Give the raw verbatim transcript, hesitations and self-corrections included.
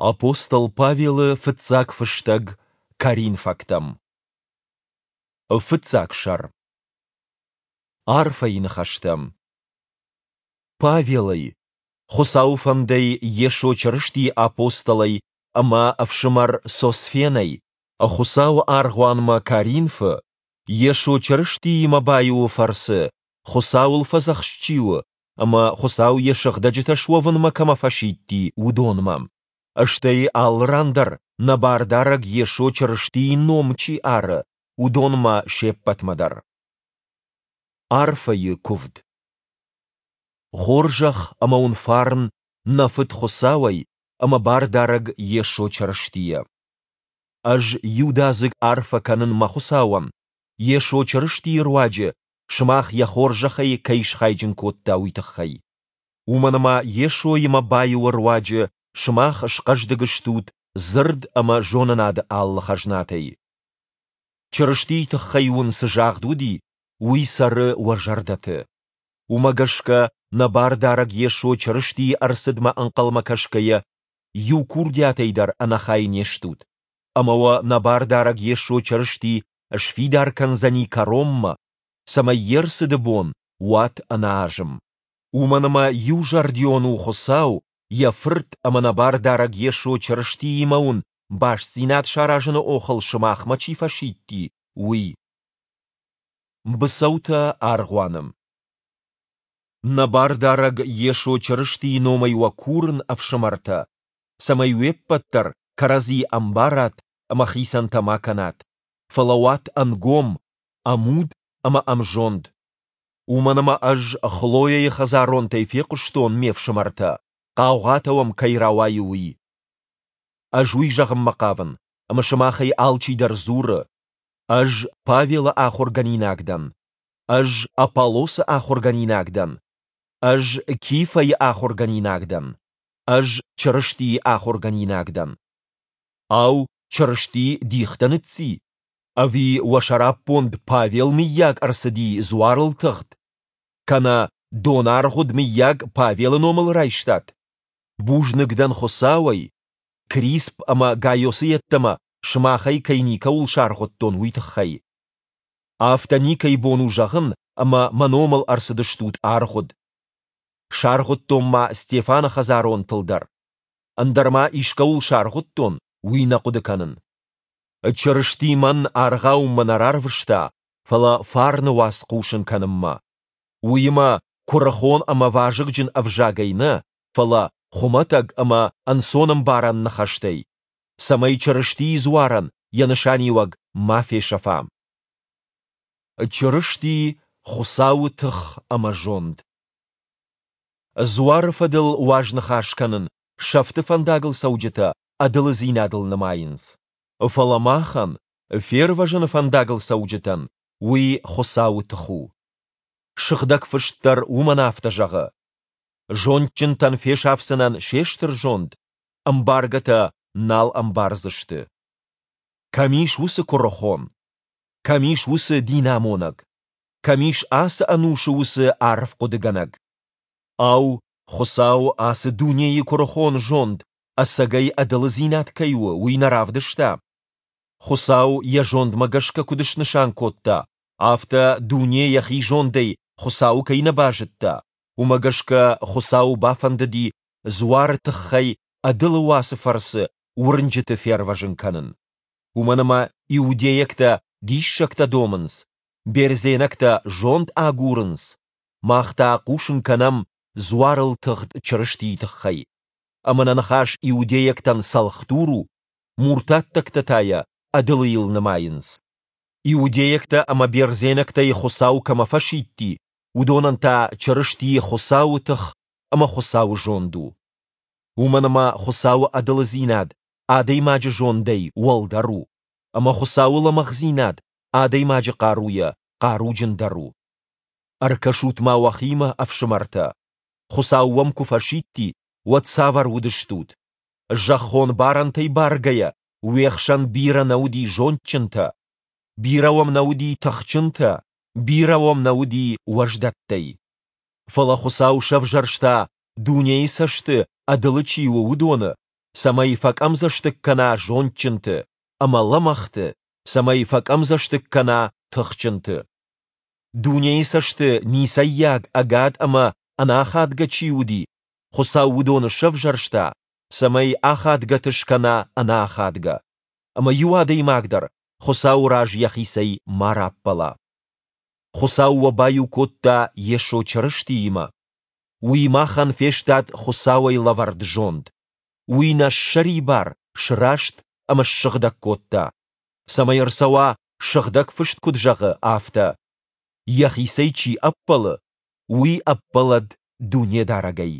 Апостол Павелы фыццаг фыстӕг Коринфӕгтӕм. Фыццаг сӕр. Арфӕйы ныхӕстӕ. Павелӕй, Хуыцауы фӕндӕй Йесо Чырыстийы апостолӕй ӕмӕ ӕфсымӕр Сосфенӕй, Хуыцауы аргъуанмӕ Коринфы, Йесо Чырыстиимӕ баиуы фӕрцы Хуыцауыл фӕдзӕхст чи у ӕмӕ Хуыцау йӕ сыгъдӕджытӕ суӕвынмӕ кӕмӕ фӕсидти, уыдонмӕ. Стӕй алы ран дӕр нӕ Бардарӕг Йесо Чырыстийы ном чи ары, уыдонмӕ се ппӕтмӕ дӕр. Арфӕйы куывд. Хорзӕх ӕмӕ уын фарн нӕ Фыд Хуыцауӕй ӕмӕ Бардарӕг Йесо Чырыстийӕ. Ӕз иудадзыг арфӕ кӕнын мӕ Хуыцауӕн, Йесо Чырыстийы руаджы сымах йӕ хорзӕхӕй кӕй схайджын кодта, уый тыххӕй. Уымӕн ӕмӕ Йесоимӕ баиуы руаджы сымах схъӕздыг стут дзырд ӕмӕ зонынады алы хӕзнатӕй. Чырыстийы тыххӕй уын цы загъд уыди, уый цӕры уӕ зӕрдӕты. Уымӕ гӕсгӕ нӕ Бардарӕг Йесо Чырыстийы ӕрцыдмӕ ӕнхъӕлмӕ кӕсгӕйӕ, иу курдиатӕй дӕр ӕнӕхай не стут, ӕмӕ уӕ нӕ Бардарӕг Йесо Чырысти сфидар кӕндзӕни кӕронмӕ, цӕмӕй йе рцыды бон уат ӕнӕазым. Уымӕн ӕмӕ иузӕрдион у Хуыцау йӕ Фырт ӕмӕ нӕ Бардарӕг Йесо Чырыстиимӕ уын бастдзинад саразыны охыл сымахмӕ чи фӕсидти, уый. Быцӕутӕ аргъуаны. Нӕ Бардарӕг Йесо Чырыстийы номӕй уӕ курын, ӕфсымӕртӕ, цӕмӕй уе ппӕт дӕр кӕрӕдзи ӕмбарат ӕмӕ хицӕнтӕ ма кӕнат, фӕлӕ уат ӕнгом, ӕмуд ӕмӕ ӕмзонд. Уымӕн ӕмӕ ӕз Хлояйы хӕдзаронтӕй фехъуыстон, ме фсымӕртӕ, хъаугъатӕ уӕм кӕй рауайы, уый. Ӕз уый зӕгъынмӕ хъавын, ӕмӕ сымахӕй алчидӕр дзуры: Ӕз Павелы ахуыргӕнинаг дӕн, ӕз Аполлосы ахуыргӕнинаг дӕн, ӕз Кифӕйы ахуыргӕнинаг дӕн, ӕз Чырыстийы ахуыргӕнинаг дӕн. Ау, Чырысти дихтӕ ныцци? Ӕви уӕ сӕраппонд Павел мыййаг ӕрцыди дзуарыл тыгъд? Кӕнӕ донаргъуыд мыййаг Павелы номыл райстат? Бузныг дӕн Хуыцауӕй, Крисп ӕмӕ Гайосы йеддӕмӕ сымахӕй кӕй никӕуыл саргъуыдтон, уый тыххӕй. Афтӕ никӕй бон у зӕгъын, ӕмӕ мӕ номыл ӕрцыдыстут аргъуыд. Саргъуыдтон ма Стефаны хӕдзаронтыл дӕр. Ӕндӕр ма искӕуыл саргъуыдтон, уый нӕ хъуыды кӕнын. Чырысти мӕн аргъауынмӕ нӕ рарвыста, фӕлӕ фарны уац хъусын кӕнынмӕ. Уыимӕ куырыхон ӕмӕ вазыгджын ӕвзагӕй нӕ, фӕлӕ хуымӕтӕг ӕмӕ ӕнцонӕмбарӕн ныхӕстӕй, цӕмӕй Чырыстийы дзуарӕн йӕ нысаниуӕг ма фесӕфа. Чырысти Хуыцауы тых ӕмӕ зонд. Дзуары фӕдыл уазныхас кӕнын сӕфты фӕндагыл цӕуджытӕ ӕдылыдзинадыл нымайынц. Фӕлӕ махӕн, фервӕзыны фӕндагыл цӕуджытӕн, уый Хуыцауы тых у. Сыгъдӕг Фыст дӕр уымӕн афтӕ зӕгъы: Зондджынтӕн фесафдзынӕн се стыр зонд, ӕмбаргӕтӕ нал ӕмбардзысты. Кӕм ис уыцы куырыхон? Кӕм ис уыцы динамонӕг? Кӕм ис ацы ӕнусы уыцы арфхъуыдыгӕнӕг? Ау, Хуыцау ацы дунейы куырыхон зонд ӕцӕгӕй ӕдылыдзинад кӕй у, уый нӕ равдыста? Хуыцау йӕ зондмӕ гӕсгӕ куыд снысан кодта, афтӕ дуне йӕхи зондӕй Хуыцауы кӕй нӕ базыдта, уымӕ гӕсгӕ Хуыцауы бафӕндыди дзуары тыххӕй ӕдылы уацы фӕрцы уырнджыты фервӕзын кӕнын. Уымӕн ӕмӕ иудейӕгтӕ диссӕгтӕ домынц, бердзенӕгтӕ зонд агурынц, мах та хъусын кӕнӕм дзуарыл тыгъд Чырыстийы тыххӕй. Ӕмӕ нӕ ныхас иудейӕгтӕн цӕлхдур у, муртаттӕгтӕ та йӕ ӕдылыйыл нымайынц. Иудейӕгтӕ ӕмӕ бердзенӕгтӕй Хуыцау кӕмӕ фӕсидти, уыдонӕн та Чырысти Хуыцауы тых ӕмӕ Хуыцауы зонд у. Уымӕн ӕмӕ Хуыцауы ӕдылыдзинад адӕймаджы зондӕй уӕлдӕр у, ӕмӕ Хуыцауы лӕмӕгъдзинад адӕймаджы хъаруйӕ хъаруджындӕр у. Ӕркӕсут-ма уӕхимӕ, ӕфсымӕртӕ, Хуыцау уӕм куы фӕсидти, уӕд цавӕр уыдыстут? Зӕххон барӕнтӕй баргӕйӕ, уе хсӕн бирӕ нӕ уыди зондджынтӕ, бирӕ уӕм нӕ уыди тыхджынтӕ, бирӕ уӕм нӕ уыди уӕздӕттӕй. Фӕлӕ Хуыцау сӕвзӕрста, дунейы цӕсты ӕдылы чи у, уыдоны, цӕмӕй фӕкъӕмдзӕстыг кӕна зондджынты, ӕмӕ лӕмӕгъты, цӕмӕй фӕкъӕмдзӕстыг кӕна тыхджынты. Дунейы цӕсты ницӕййаг, ӕгад ӕмӕ ӕнӕахадгӕ чи уыди, Хуыцау уыдоны сӕвзӕрста, цӕмӕй ахадгӕты скӕна ӕнӕахадгӕ, ӕмӕ иу адӕймаг дӕр Хуыцауы раз йӕхицӕй ма раппӕла. Хуыцау уӕ баиу кодта Йесо Чырыстиимӕ. Уый махӕн фестад Хуыцауӕй лӕвӕрд зонд. Уый нӕ ссӕрибар, сраст ӕмӕ ссыгъдӕг кодта, цӕмӕй ӕрцӕуа, Сыгъдӕг Фыст куыд зӕгъы, афтӕ: Йӕхицӕй чи ӕппӕлы, уый ӕппӕлӕд Дунедарӕгӕй.